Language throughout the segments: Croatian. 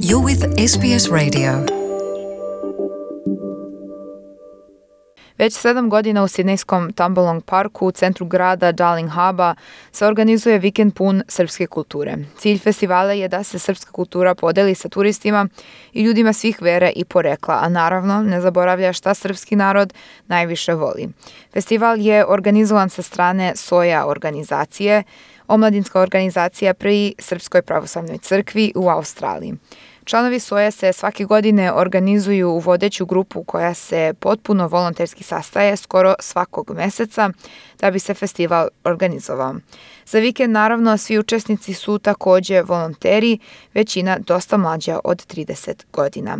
You're with SBS Radio. Već 7 godina u sidnejskom Tambalong parku u centru grada Darling Harbour se organizuje vikend pun srpske kulture. Cilj festivala je da se srpska kultura podeli sa turistima i ljudima svih vere i porekla, a naravno ne zaboravlja šta srpski narod najviše voli. Festival je organizovan sa strane SOJA organizacije, omladinska organizacija pri Srpskoj pravoslavnoj crkvi u Australiji. Članovi SOJA se svake godine organizuju u vodeću grupu koja se potpuno volonterski sastaje skoro svakog meseca da bi se festival organizovao. Za vikend naravno svi učesnici su takođe volonteri, većina dosta mlađa od 30 godina.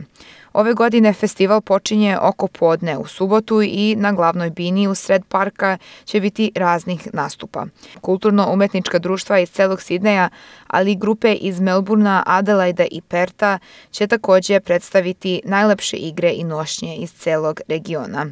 Ove godine festival počinje oko podne u subotu i na glavnoj bini u sred parka će biti raznih nastupa. Kulturno-umetnička društva iz celog Sidneja, ali i grupe iz Melbournea, Adelaida i Perta će takođe predstaviti najlepše igre i nošnje iz celog regiona.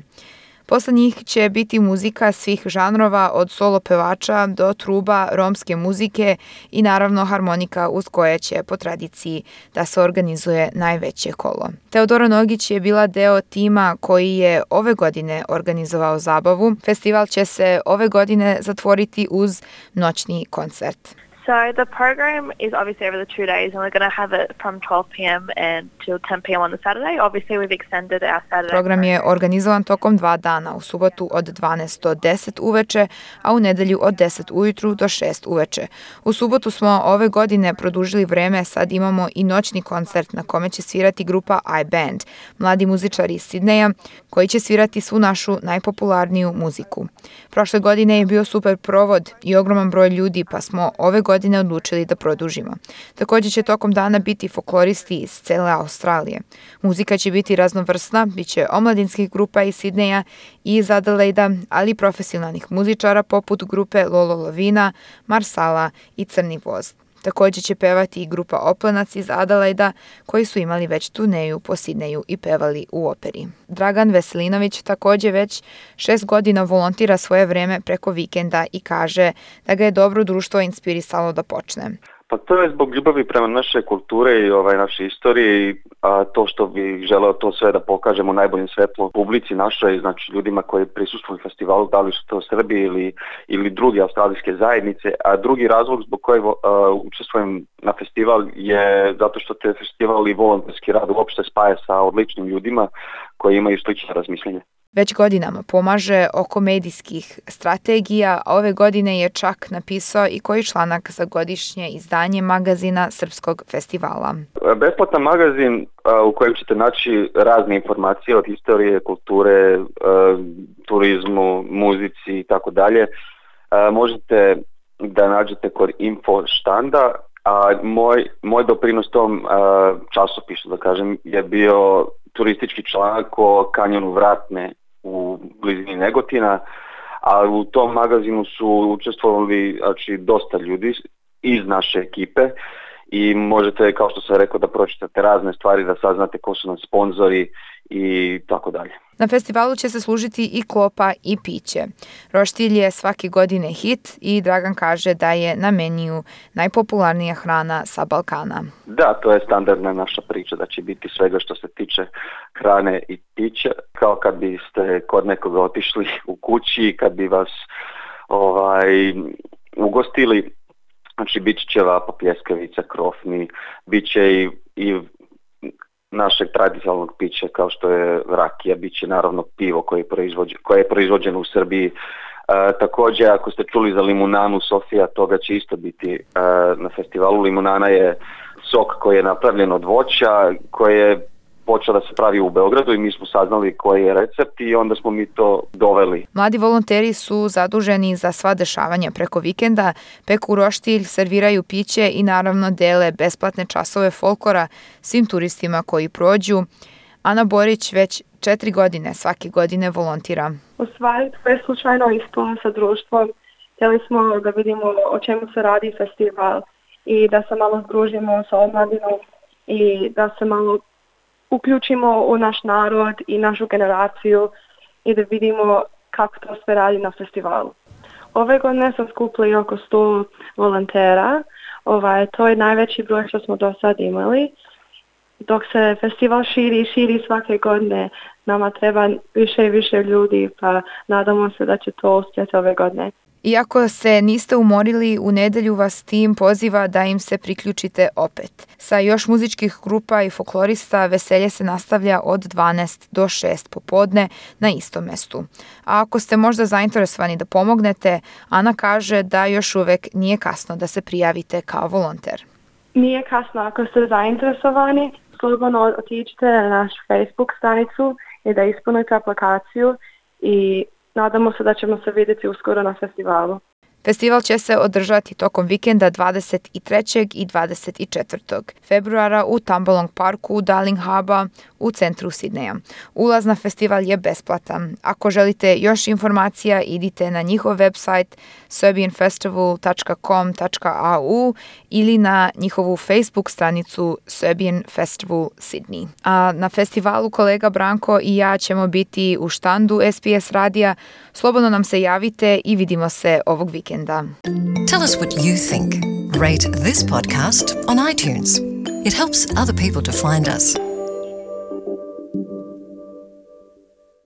Posle njih će biti muzika svih žanrova od solo pevača do truba, romske muzike i naravno harmonika uz koje će po tradiciji da se organizuje najveće kolo. Teodora Nogić je bila deo tima koji je ove godine organizovao zabavu. Festival će se ove godine zatvoriti uz noćni koncert. So the program is obviously over the 2 days, and we're going to have it from 12 p.m. until 10 p.m. on the Saturday. Obviously, we've extended our Saturday. Program je organizovan tokom 2 dana, u subotu od 12 do 10 uveče, a u nedelju od 10 ujutru do 6 uveče. U subotu smo ove godine produžili vreme, sad imamo i noćni koncert na kome će svirati grupa iBand, mladi muzičari iz Sidneja, koji će svirati svu našu najpopularniju muziku. Prošle godine je bio super provod i ogroman broj ljudi, pa smo ove godine odlučili da produžimo. Takođe će tokom dana biti folkloristi iz cele Australije. Muzika će biti raznovrsna, bit će omladinskih grupa iz Sidneja i iz Adelaida, ali i profesionalnih muzičara poput grupe Lolo Lovina, Marsala i Crni voz. Takođe će pevati i grupa Oplenac iz Adelaida koji su imali već turneju po Sidneju i pevali u operi. Dragan Veselinović takođe već 6 godina volontira svoje vreme preko vikenda i kaže da ga je dobro društvo inspirisalo da počne. Pa to je zbog ljubavi prema naše kulture i naše istorije, a to što bi želeo to sve da pokažemo u najboljem svetlu publici našoj, znači ljudima koji prisustvuju festivalu, da li su to Srbi ili druge australijske zajednice, a drugi razlog zbog kojeg učestvujem na festival je zato što te festival i volonterski rad uopšte spaja sa odličnim ljudima koji imaju slične razmišljenje. Već godinama pomaže oko medijskih strategija, a ove godine je čak napisao i koji članak za godišnje izdanje magazina Srpskog festivala. Besplatan magazin u kojem ćete naći razne informacije od historije, kulture, turizmu, muzici i tako dalje. Možete da nađete kod info štanda, a moj doprinos tom časopisu, da kažem, je bio turistički članak o kanjonu Vratne u blizini Negotina, a u tom magazinu su učestvovali dosta ljudi iz naše ekipe i možete, kao što sam rekao, da pročitate razne stvari, da saznate ko su nam sponzori i tako dalje. Na festivalu će se služiti i klopa i piće. Roštilj je svake godine hit i Dragan kaže da je na meniju najpopularnija hrana sa Balkana. Da, to je standardna naša priča, da će biti svega što se tiče hrane i pića, kao kad biste kod nekoga otišli u kući, kad bi vas ugostili. Znači, bit će ćevapa, pljeskavica, krofni, bit će i našeg tradicionalnog pića kao što je rakija, bit će naravno pivo koje je proizvođeno u Srbiji. Takođe, ako ste čuli za limunanu Sofija, toga će isto biti na festivalu. Limunana je sok koji je napravljen od voća, koji je počeo da se pravi u Beogradu i mi smo saznali koji je recept i onda smo mi to doveli. Mladi volonteri su zaduženi za sva dešavanja preko vikenda, peku roštilj, serviraju piće i naravno dele besplatne časove folklora svim turistima koji prođu. Ana Borić već 4 godine svake godine volontira. U stvari, to je slučajno ispalo sa društvom. Htjeli smo da vidimo o čemu se radi festival i da se malo združimo sa omladinom i da se malo uključimo u naš narod i našu generaciju i da vidimo kako to sve radi na festivalu. Ove godine smo skupili oko 100 volontera. To je najveći broj što smo do sad imali. dok se festival širi svake godine, nama treba više i više ljudi, pa nadamo se da će to uspjeti ove godine. Iako se niste umorili, u nedjelju vas tim poziva da im se priključite opet. Sa još muzičkih grupa i folklorista veselje se nastavlja od 12 do 6 popodne na istom mjestu. A ako ste možda zainteresovani da pomognete, Ana kaže da još uvijek nije kasno da se prijavite kao volonter. Nije kasno ako ste zainteresovani, slobodno otiđite na našu Facebook stranicu i da ispunite aplikaciju i nadamo se da ćemo se vidjeti uskoro na festivalu. Festival će se održati tokom vikenda 23. i 24. februara u Tambalong Parku, Darling Harbour u centru Sidneja. Ulaz na festival je besplatan. Ako želite još informacija, idite na njihov website serbianfestival.com.au ili na njihovu Facebook stranicu Serbian Festival Sydney. A na festivalu kolega Branko i ja ćemo biti u štandu SBS radija. Slobodno nam se javite i vidimo se ovog vikenda. Tell us what you think. Rate this podcast on iTunes. It helps other people to find us.